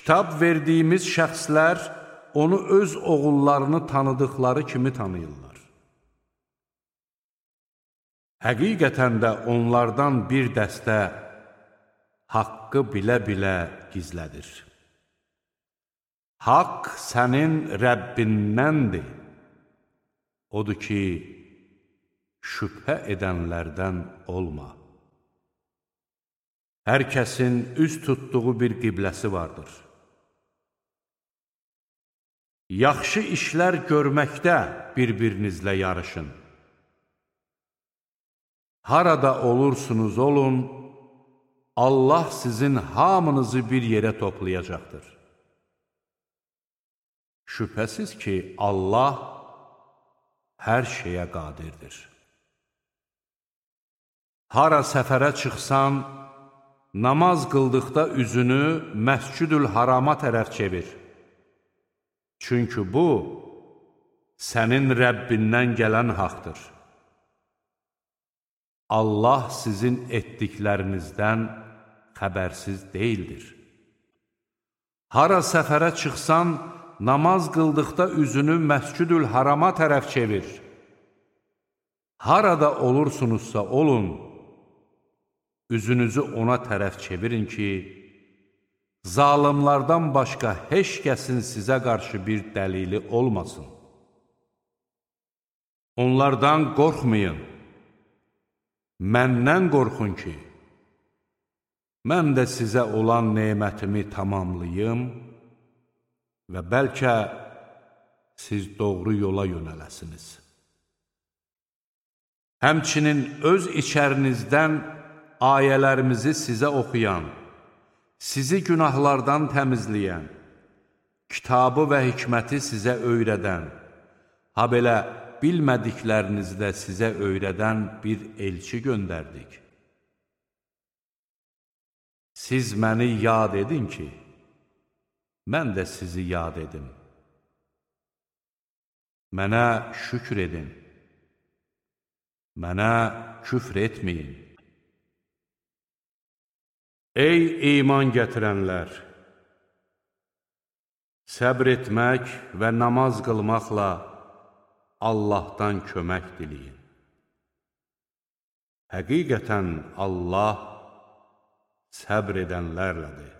Kitab verdiyimiz şəxslər onu öz oğullarını tanıdıqları kimi tanıyırlar. Həqiqətən də onlardan bir dəstə haqqı bilə-bilə gizlədir. Haqq sənin Rəbbindəndir. Odur ki, şübhə edənlərdən olma. Hər kəsin üz tutduğu bir qibləsi vardır. Yaxşı işlər görməkdə bir-birinizlə yarışın. Harada olursunuz olun, Allah sizin hamınızı bir yerə toplayacaqdır. Şübhəsiz ki, Allah hər şeyə qadirdir. Hara səfərə çıxsan, namaz qıldıqda üzünü Məscüdül Harama tərəf çevir. Çünki bu, sənin Rəbbindən gələn haqdır. Allah sizin etdiklərinizdən xəbərsiz deyildir. Hara səfərə çıxsan, namaz qıldıqda üzünü Məscüdül Harama tərəf çevir. Harada olursunuzsa olun, üzünüzü ona tərəf çevirin ki, zalimlardan başqa heç kəsin sizə qarşı bir dəlili olmasın. Onlardan qorxmayın, məndən qorxun ki, mən də sizə olan nemətimi tamamlayım və bəlkə siz doğru yola yönələsiniz. Həmçinin öz içərinizdən ayələrimizi sizə oxuyan, sizi günahlardan təmizləyən, kitabı və hikməti sizə öyrədən, ha belə bilmədiklərinizi də sizə öyrədən bir elçi göndərdik. Siz məni yad edin ki, mən də sizi yad edim. Mənə şükür edin, mənə küfr etməyin. Ey iman gətirənlər! Səbr etmək və namaz qılmaqla Allahdan kömək diləyin. Həqiqətən Allah səbr edənlərlədir.